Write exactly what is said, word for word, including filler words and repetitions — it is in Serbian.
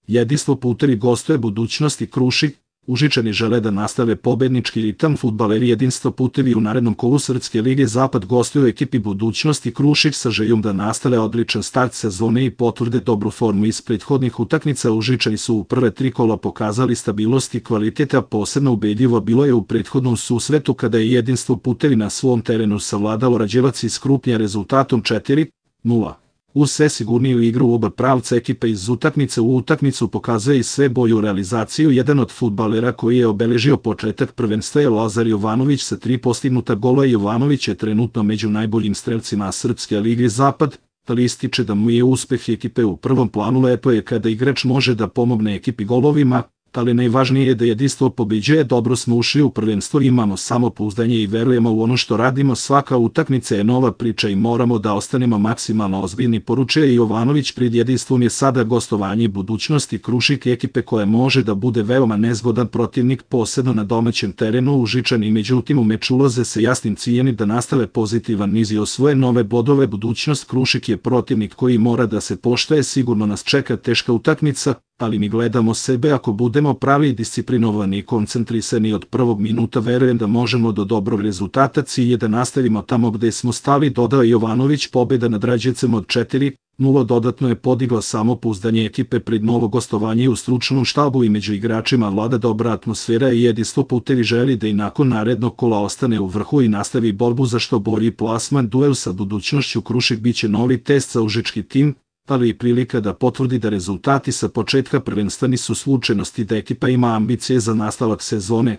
Jedinstvo putevi gostuje Budućnosti Krušik. Užičani žele da nastave pobednički ritam. Fudbaleri Jedinstvo putevi u narednom kolu Srpske lige Zapad gostuju ekipi Budućnosti Krušik sa željom da nastave odličan start sezone i potvrde dobru formu iz prethodnih utakmica. Užičani su u prve tri kola pokazali stabilnost i kvalitet, a posebno ubedljivo bilo je u prethodnom susretu kada je Jedinstvo putevi na svom terenu savladalo Rađevac iz Krupnja rezultatom četiri nula. Uz sve sigurniju igru u oba pravca ekipa iz utakmice u utakmicu pokazuje i sve bolju realizaciju. Jedan od fudbalera koji je obeležio početak prvenstva je Lazar Jovanović sa tri postignuta gola. Jovanović je trenutno među najboljim strelcima Srpske lige Zapad, ali ističe da mu je uspeh ekipe u prvom planu. Lepo je kada igrač može da pomogne ekipi golovima, ali najvažnije je da jedinstvo pobeđuje. Dobro smo ušli u prvenstvo, imamo samopouzdanje i verujemo u ono što radimo. Svaka utakmica je nova priča i moramo da ostanemo maksimalno ozbiljni, poručuje Jovanović. Pred Jedinstvom je sada gostovanje Budućnosti Krušik, ekipe koja može da bude veoma nezgodan protivnik, posebno na domaćem terenu. Užičani međutim u meč ulaze sa jasnim ciljem da nastave pozitivan niz i osvoje nove bodove. Budućnost Krušik je protivnik koji mora da se poštuje. Sigurno nas čeka teška utakmica, ali mi gledamo sebe. Ako budemo pravi, disciplinovani i koncentrisani od prvog minuta, verujem da možemo do dobrog rezultata. Cilj je da nastavimo tamo gde smo stali, dodao Jovanović. Pobjeda nad Rađevcem od četiri nula dodatno je podigla samopouzdanje ekipe pred novo gostovanje. U stručnom štabu i među igračima vlada dobra atmosfera i Jedinstvo putevi želi da i nakon narednog kola ostane u vrhu i nastavi borbu za što bolji plasman. Duel sa Budućnošću Krušik biće novi test za užički tim, ali i prilika da potvrdi da rezultati sa početka prvenstva nisu slučajnosti, da ekipa ima ambicije za nastavak sezone.